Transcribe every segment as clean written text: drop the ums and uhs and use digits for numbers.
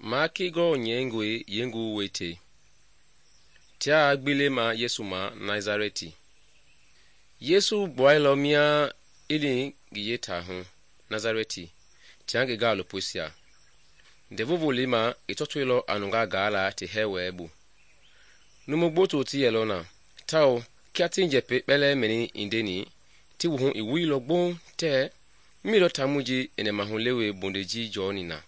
Maaki gɔ nyɛingɔe yeengu wete. Tia gbile ma Yesu ma Nazareti. Yesu gbuailɔ mia i li ngi yeetaa hu Nazareti tia ngi gaalopoisia. Ndɛvu Volei ma i tɔtoilɔ a nungaa gaala ti hɛɛ wɛɛ bu. Numu gboto ti yɛlɔ na, tawao kia ti njɛpɛi kpɛlɛɛ mɛni i ndeni, ti wuhu i wuilɔ gboŋ tɛɛ mii lɔ taamɔi ji i nɛmahulewe bondei ji jɔɔni na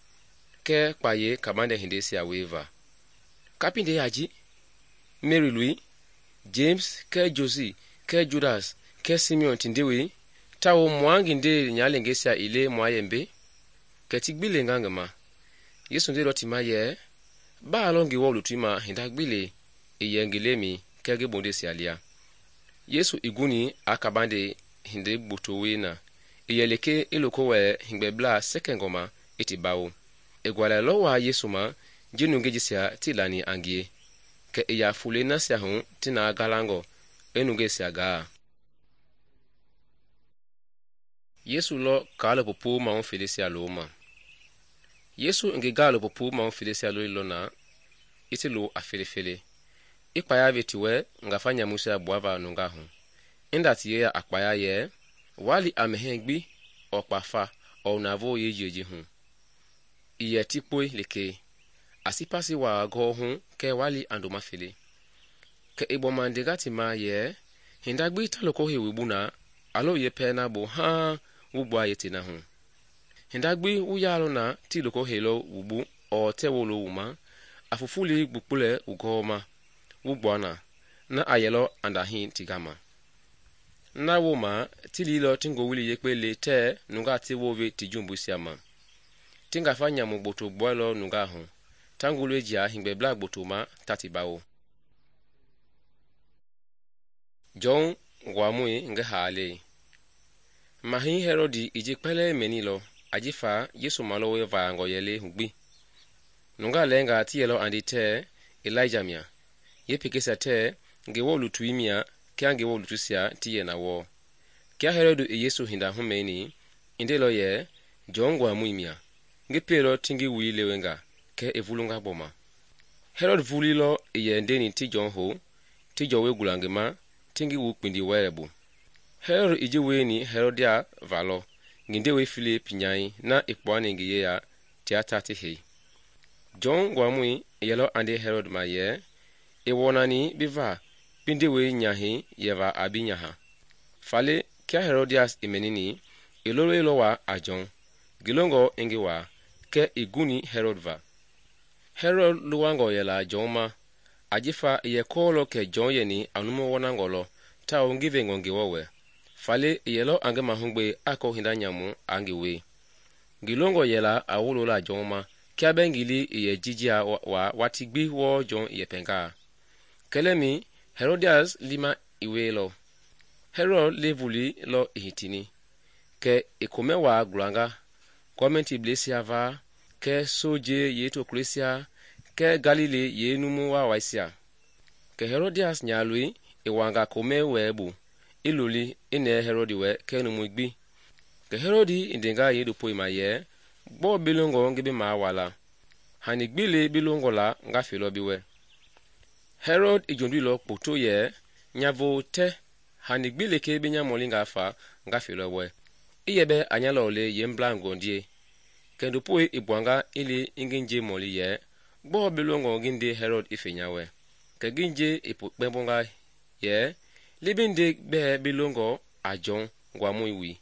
kɛɛ kpayei kabandɛ hindeisia wieva. Kapindei a ji? Meri loi, James kɛɛ Josi kɛɛ Judas kɛɛ Simeon ti ndewei, tawao mua ngi ndee nyalengeisia ii le mua yɛmbe? Kɛ ti gbi lenga ngi ma. Yesu ndeilɔ ti ma yɛ, baa lɔ Ngewɔ lutui ma hinda gbi le i yɛ ngi lemɛi kɛɛ ngi bondeisia lia. Yesu i guni a kabande hindei gboto wie na, i yɛ lekee i loko wɛlɛ hegbɛblaa sɛkɛngɔ ma i ti bawo. I gualɛilɔ waa Yesu ma ji nungei jisia tii lani a ngie, kɛ i ya folei nasia hu ti na galangɔ i nungeisia gaa. Yesu lɔ kaalopopo mahu feleisia looma. Yesu i ngi gaalopopo mahu feleisia lolilɔ na i ti lo a felefele, i kpaya ve ti wɛ ngafa nyamuisia gbuava nungaa hu, inda ti yeya a kpaya yɛ, waa li a mɛhɛɛ gbi ɔɔ kpafa ɔɔ navoo yeejie ji hu. I yɛ ti kpoi lekee, a sipasi waa gɔɔ hu kɛɛ waa li a ndoma fele. Kɛ i gbɔma ndenga ti ma yɛ, hinda gbi ta loko hei wu bu na, a lo ye pɛɛ na bo haaŋ wu gbua yete na hu. Hinda gbi wu yaalɔ na ti loko heilɔ wu bu ɔɔ tɛ wolo wu ma, a fufuli gbukpulɛ wu gɔɔma wu gbua na a yɛlɔ a ndahii ti gama. Na wooma ti liilɔ ti ngowili yekpe le tɛɛ nungaa ti wove ti jumbuisia ma. Ti ngafa nyamu gboto gbuailɔ nungaa hu, ta ngulɔi jia hegbɛblaa gboto ma ta ti bawo. Jɔn nguamɔi ngi haalei. Mahɛi Hɛlɔdi i ji kpɛlɛɛ mɛnilɔ ajifa Yesu malɔwe vaangɔ yɛlei hu gbi. Nungaa lɛɛngaa ti yɛlɔ andi tɛɛ Elijah mia, yeepekeisia tɛɛ Ngewɔ lutui mia kia Ngewɔ lutuisia ti yɛ na wɔɔ. Kia Hɛlɔdi i Yesu hinda humɛni, i ndeilɔ yɛ, Jɔn nguamɔi mia, ngi pieilɔ ti ngi wui lewenga kɛ i vulunga gbɔma. Hɛlɔdi vulilɔ i yɛ ndeni ti Jɔn hou, ti jɔwɔi gula ngi ma ti ngi wu kpindi wɛlɛ bu. Hɛlɔdi i ji wieni Hɛlɔdia valɔ ngi ndewei Filip nyai na i kpuani ngi yeya tia ta ti hei. Jɔn nguamɔi i yɛlɔ andi Hɛlɔdi ma yɛ, i wɔnani bi va bi ndewei nyahɛi yɛva a bi nyaha. Faale kia Hɛlɔdias i mɛnini, i loloilɔ waa a Jɔn, ngi longɔ i ngi waa, kɛ i guni Hɛlɔdi va. Hɛlɔdi luwangɔ yɛla Jɔn ma, ajifa i yɛ kɔɔlɔ kɛ Jɔn yɛni a numu wɔnangɔ lɔ tawao ngi vengɔ Ngewɔ wɛ. Faale i yɛlɔ a ngi mahugbe a kɔ hinda nyamu a ngi wei. Ngi longɔ yɛla a wolola Jɔn ma kia bɛ ngi li i yɛ jijia waa wati gbi wɔɔ Jɔn i yɛpɛngaa. Kɛlɛmi Hɛlɔdias lima i weilɔ. Hɛlɔd le vuli lɔ i hitini, kɛ i komɛ waa gulanga, gɔmɛntiblɛisia va, kɛ soje yeetokuleisia, kɛ Galile yeenumu waawaisia. Kɛ Hɛlɔdias nyaaloi i wanga komɛ wɛɛ bu, i loli i nɛɛ Hɛlɔdi wɛ kɛ numui gbi. Kɛ Hɛlɔdi i ndenga yeendopoi ma yɛ, gbɔɔ bi longɔ ngi bi maa wala? Hani gbi le bi longɔ la nga felɔ bi wɛ. Hɛlɔd i jonduilɔ kpoto yɛ, nya voo tɛ, hani gbi lekee bi nya mɔlingaa fa nga felɔ wɛ. I yɛ bɛ a nya lɔ le yeemblaa ngɔndie. Kɛ ndopoi i gbuanga i li i ngi nje mɔli yɛ, gbɔɔ bi longɔ ngi nde Hɛlɔd i fe nya wɛ? Kɛ ngi nje i kpɛmbonga yɛ, li bi nde bɛɛ bi longɔ a Jɔn nguamɔi wi.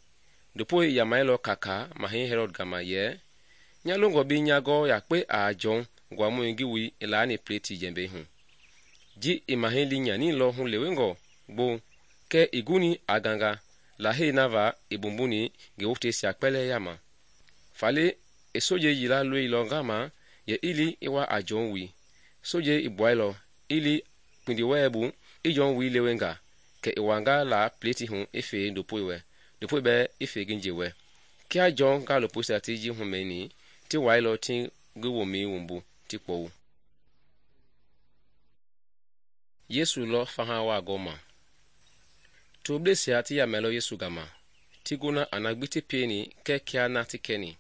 Ndopoi i yamailɔ kaka mahɛi Hɛlɔd gama yɛ, nya longɔ bi nya gɔ yakpe a Jɔn nguamɔi ngi wi i laani pleti jɛmbɛi hu. Ji i mahɛi li nyanilɔ hu lewengɔ gbo, kɛ i guni a ganga, lahei na va i bumbuni ngi woteisia kpɛlɛɛ yama. Faale i soje yila loilɔ ngama yɛ i li i wa a Jɔn wi. Soje i gbuailɔ i li kpindi wɛɛ bu i Jɔn wi lewenga, kɛ i wanga la pleti hu i fe ndopoi wɛ, ndopoi bɛ i fe ngi nje wɛ. Kia Jɔn gaalopoisia ti ji humɛni, ti wailɔ ti ngi womɛi wumbu ti kpɔwu. Yesu lɔ faha waa gɔma. Toblesia ti yamɛlɔ Yesu gama, ti gona a na gbi ti pieni kɛ kia na ti kɛni.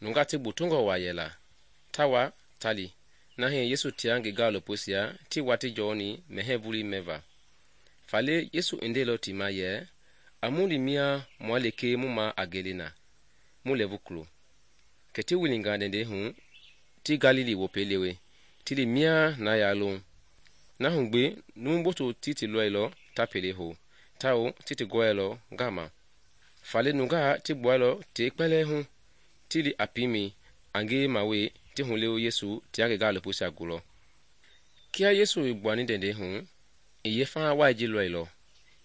Nunga ti gbotongɔ waa yɛla, tawa tali na hii Yesu tia ngi gaalopoisia ti wati jɔɔni mɛhɛɛ vulii mɛva. Faale Yesu i ndeilɔ ti ma yɛ, a mu li mia mua lekee mu ma a gele na mu lɛɛvu kulo. Kɛ ti wilinga ndɛndɛi hu ti Galili wopɛi lewe ti li mia na yaa loŋ. Na hu gbi numu gboto ti lɔilɔ ta pele hou tawao ti gɔɛilɔ gama. Faale nungaa ti gbuailɔ tei kpɛlɛɛ hu ti li a piimɛi a ngiyema wei ti hulewe Yesu tia ngi gaalopoisia gulɔ. Kia Yesu i gbuani ndɛndɛi hu, i yeefaha wai ji lɔilɔ,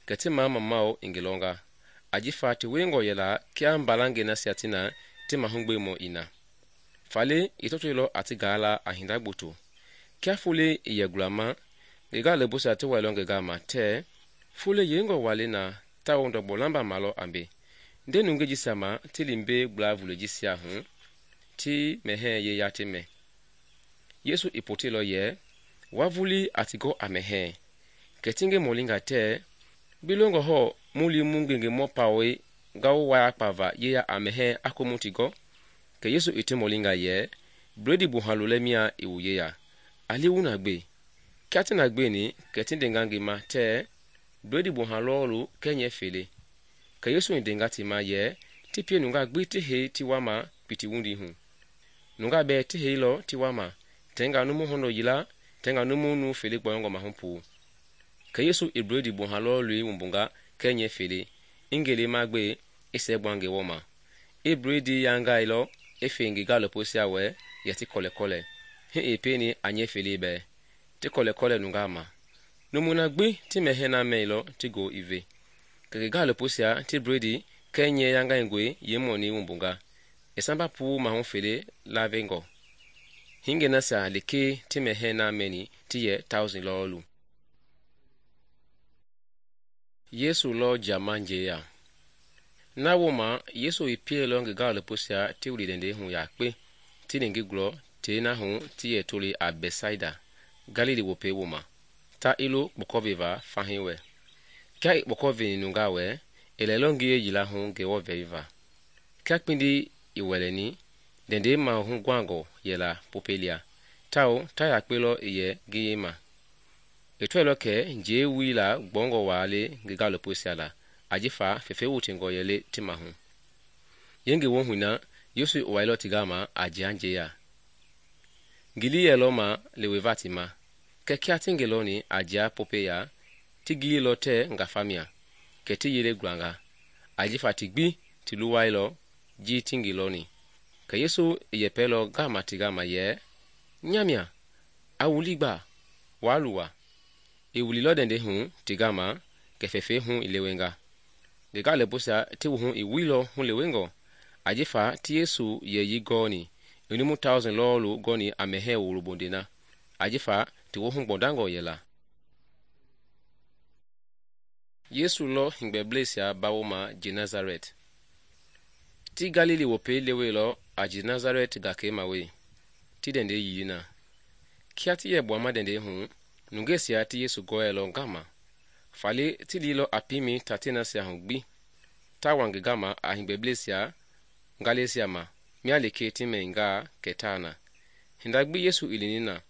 kɛ ti mamamau i ngi lɔnga, ajifa ti wiengɔ yɛla kia mbalangɛi nasia ti na ti mahugbemɔ i na. Faale i tɔtoilɔ a ti gaala a hinda gboto. Kia folei i yɛ gulama, ngi gaalopoisia ti wailɔ ngi gama tɛɛ, folei yengɔ wa le na tawao ndɔgbɔ lamba malɔ a mbe. Nde nungei jisia ma ti li mbei gbla vulei jisia hu ti mɛhɛɛ yeya ti mɛ. Yesu i poteilɔ yɛ, wa vulii a ti gɔ a mɛhɛɛ. Kɛ ti ngi mɔlinga tɛɛ, bi longɔ hɔɔ mu li mu ngengemɔ pawɛi ngawu wayakpava yeya a mɛhɛɛ a komu ti gɔ? Kɛ Yesu i ti mɔlinga yɛ, bledi buhalu lɛ mia i wu yeya, a li wu na gbe. Kia ti na gbeni kɛ ti ndenga ngi ma tɛɛ, bledi buha lɔɔlu kɛɛ nyɛ fele. Kɛ Yesu i ndenga ti ma yɛ, ti pie nungaa gbi ti hei ti wama piti wundi hu. Nungaa bɛɛ ti heilɔ ti wama, tɛnga numu hɔndɔ yila, tɛnga numu nu fele gbɔyɔngɔ mahu puu. Kɛ Yesu i bledi buha lɔɔlui wumbunga kɛɛ nyɛ fele, i ngelema gbe i sɛɛ gbua ngi wɔma. I bledi yangailɔ i fei ngi gaalopoisia wɛ yɛ ti kɔlɛkɔlɛ, hi i pieni a nyɛ fele bɛɛ, ti kɔlɛkɔlɛ nungaa ma. Numu na gbi ti mɛhɛɛ na mɛilɔ ti go i ve. Kɛ ngi gaalopoisia ti bledi kɛɛ nyɛ yangaingɔe yeemɔni wumbunga, i samba puu mahu fele lavengɔ. Hingei nasia lekee ti mɛhɛɛ na mɛni ti yɛ 1,000 lɔɔlu. Yesu lɔ jama njeya. Na wooma Yesu i pieilɔ ngi gaalopoisia ti wili ndɛndɛi hu yakpe ti li ngi gulɔ tei na hu ti yɛ toli a Bɛtsaida, Galili wopɛi wooma, ta i lo kpɔkɔveva fahii wɛ. Kia i kpɔkɔveni nungaa wɛ, i lɛlɔ ngiye yila hu Ngewɔ vɛliva. Kia kpindi i wɛlɛni, ndɛndɛi mahuguangɔ yɛla popɛ lia, tawao ta yakpe lɔ i yɛ ngiye ma. I tɔilɔ kɛ njei wila gbɔngɔ waa le ngi gaalopoisia la, ajifa fefe wutingɔ yɛle ti mahu. Yengi wo hui na Yesu i wailɔ ti gama a jia njeya. Ngili yɛlɔ ma leweva ti ma, kɛ kia ti ngi lɔni a jia popɛ ya, ti gililɔ tɛɛ ngafamia, kɛ ti yele gulanga, ajifa ti gbi ti luwailɔ ji ti ngi lɔni. Kɛ Yesu i yɛpɛlɔ gama ti gama yɛ, nyamia, a wuli gba, waa luwa. I wulilɔ ndɛndɛi hu ti gama, kɛ fɛfɛi hu i lewenga. Ngi gaalopoisia ti wuhu i wuilɔ hulewengɔ, ajifa ti Yesu yɛyi gɔɔni, i numu 1,000 lɔɔlu gɔni a mɛhɛɛ wolobonde na, ajifa ti wohu gbɔndangɔ yɛla. Yesu lɔ hingbɛbleisia bawoma Genazaret. Ti Galili wopɛi leweilɔ a Genazaret gakei ma wei, ti ndɛndɛi yili na. Kia ti yɛ gbuama ndɛndɛi hu, nungeisia ti Yesu gɔɛilɔ gama. Faale ti lilɔ a piimɛi tate nasia hu gbi, ta wa ngi gama a hingbɛbleisia ngaleisia ma, mia lekee ti mɛngaa kɛ taa na. Hinda gbi Yesu i lini na,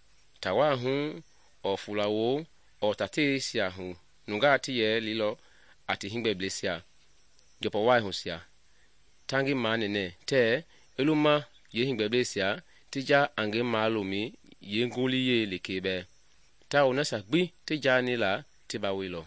tawaa hu ɔɔ fulawoo ɔɔ tateisia hu nungaa ti yɛ lilɔ a ti hingbɛbleisia jɔpɔ wai husia. Ta ngi manɛnɛ tɛɛ i luma ye hingbɛbleisia ti ja a ngi malomi ye ngoliyei lekee bɛɛ, tawao nasia gbi ti jaani la ti baweilɔ.